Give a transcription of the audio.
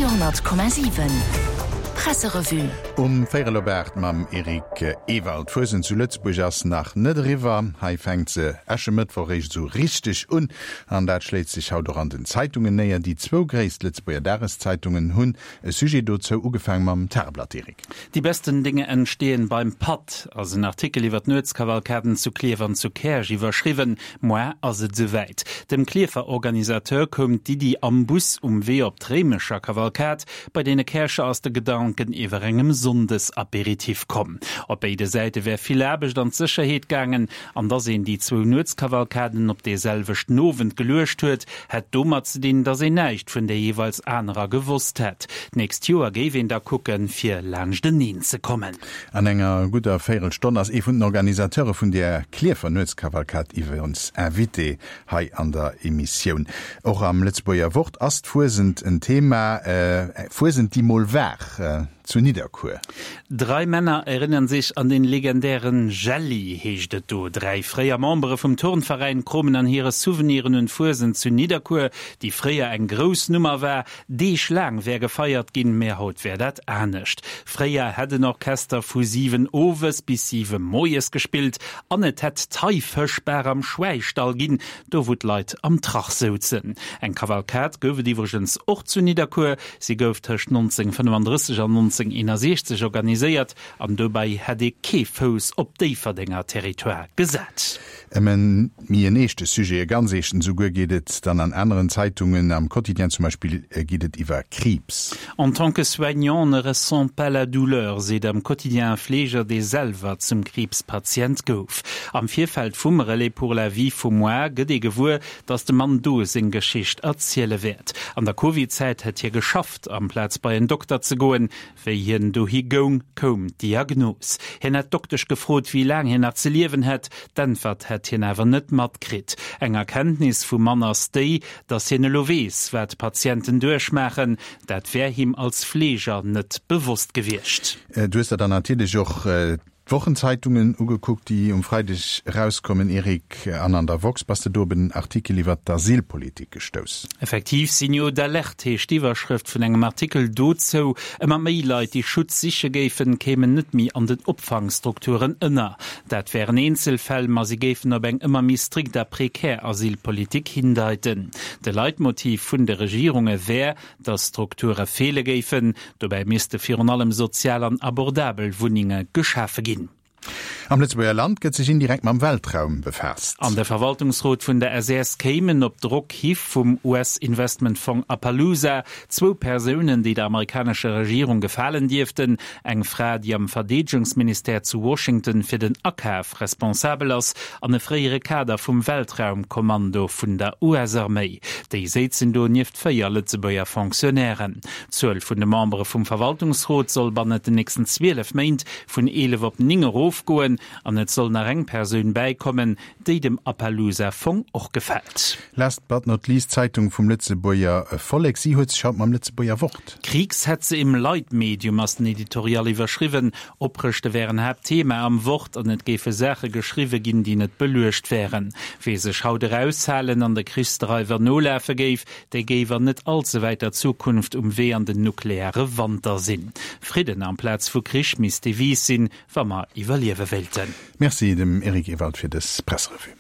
Radio 10,7 Presserevue. Um véierel op 8 mam Eric Ewald. D'Fuesent zu Lëtzebuerg ass nach net eriwwer. Hei fänkt se Äschemëttwoch eréischt esou richteg un. An dat schléit sech haut och an den Zeitungen néier. Déi zwou gréisst Lëtzebuerger Dageszeitungen hunn e Sujet dozou, ugefaang mam Tageblatt, Eric. Die besten Dinge entstehen beim Patt ass en Artikel iwwer d'Nuetskavalkaden zu Klierf an zu Käerch iwwerschriwwen. Moar ass et esouwäit. Dem Klierfer Organisateur koum d'Iddi am Bus um Wee op d'Réimecher Kavalkad. Bei deene Käercher ass de Gedanken iwwer engem Sonndesaperitif komm. Op béide Säite wär vill Aarbecht an d'Sécherheet gaangen. An dass een déi zwou Nuetskavalkaden op dee selwechten Owend geluecht huet, hätt domat ze dinn, dass een näischt vun där jeeweils anerer gewosst hätt. D'nächst Joer géif een da kucken, fir laanschteneen ze kommen. An enger gudder Véierelstonn ass ee vun den Organisateure vun där Klierfer Nuetskavalkad iwwerens Invité hei an der Emissioun. Och am Lëtzebuerger Wort ass d'Fuesent en Thema, Fuesent déi mol war zu Nidderkuer. Drei Männer erinnern sich an den legendären Jelli, heescht et do. Dräi fréier Membere vum Turnveräin kromen an hire Souveniren un d'Fuesent zu Nidderkuer, déi fréier eng grouss Nummer war. Deeg laang wär gefeiert ginn, mä haut wär dat anescht. Fréier hätt en Orchester vu 7 owes bis 7 moies gespillt an et hätt d'Haifëschbar am Schwäistall ginn, do wou d'Leit am Trach souzen. Eng Kavalkad gouf et iwwregens och zu Nidderkuer. Si gouf tëscht 1935 an 1961 organiséiert an dobäi hätt ee kee Fouss op Déifferdenger Territoire gesat. Ëm en méi en eeschte Sujet, e ganz eeschten esouguer, geet et dann an aneren Zeitungen. Am Quotidien zum Beispill geet et iwwer Kriibs. En tant que soignant, on ne ressent pas la douleur, seet am Quotidien e Fleeger, dee selwer zum Kriibspatient gouf. Am Virfeld vum Relais pour la vie vu moar gëtt ee gewuer, datt de Mann do seng Geschicht erziele wäert. An der Covid-Zäit hätt hie geschafft, amplaz bei en Dokter ze goen. Wéi hien dohi goung, koum d'Diagnos. Hien hätt d'Doktesch gefrot, wéi laang hien nach ze liewen hätt. D'Äntwert hätt hien awer net matkritt. Eng Erkenntnis vum Mann ass déi, datt hien elo weess, wat d'Patienten duerchmaachen. Dat wär him als Fleeger net bewosst gewiescht. Du hues der dann natierlech och D'Wochenzeitungen ugekuckt, déi um Freideg erauskommen, Eric, an an der woxx bass de do op en Artikel iwwer d'Asylpolitik gestouss. Effektiv, Signaux d'alerte heescht d'Iwwerschrëft vun engem Artikel dozou. Ëmmer méi Leit, déi Schutz siche géifen, kéimen net méi an den Opfangstrukturen ënner. Dat wären Eenzelfäll, ma si géifen op eng ëmmer méi strikt a prekär Asylpolitik hindeiten. De Leitmotiv vun de Regierunge wär, Datt Strukture feele géifen. Dobäi misste virun allem sozial an abordabel Wunnenge geschafe ginn. Am Lëtzebuerger Land gëtt sech indirekt mam Weltraum befaasst. An de Verwaltungsrot vun der SES kéimen op Drock hi vum US-Investmentfong Appaloosa zwou Persounen, déi der amerikanescher Regierung gefalen dierften, Eng Fra, déi am Verdeedegungsministère zu Washington fir den Akaf responsabel ass, an e fréiere Kader vum Weltraumkommando vun der US-Arméi. Déi séizen do nieft 4 Lëtzebuerger Fonctionnairen. D'Zuel vun de Membere vum Verwaltungsrot soll bannent den nächsten 12 Méint vun 11 op 9 erofgoen an et soll nach eng Persoun bäikommen, déi dem Appaloosa-Fong och gefält. Last but not least, d'Zeitung vum Lëtzebuerger Vollek, si huet sech haut mam Lëtzebuerger Wort. Kriegshetze im Leitmedium ass den Editorial iwwerschriwwen. Oprëschte wären Haaptthema am Wort an et géife Saache geschriwwe ginn, déi net beluecht wären. Wee sech haut eraushalen an de Krichsdreiwer nolafe géif, dee géif an net allzewäiter Zukunft um Wee an den nukleare Wanter sinn. Fridden amplaz vu Krich misst d'Devise sinn, wa mer iwwerliewe wéilten. Merci dem Eric Ewald fir dës Presserevue.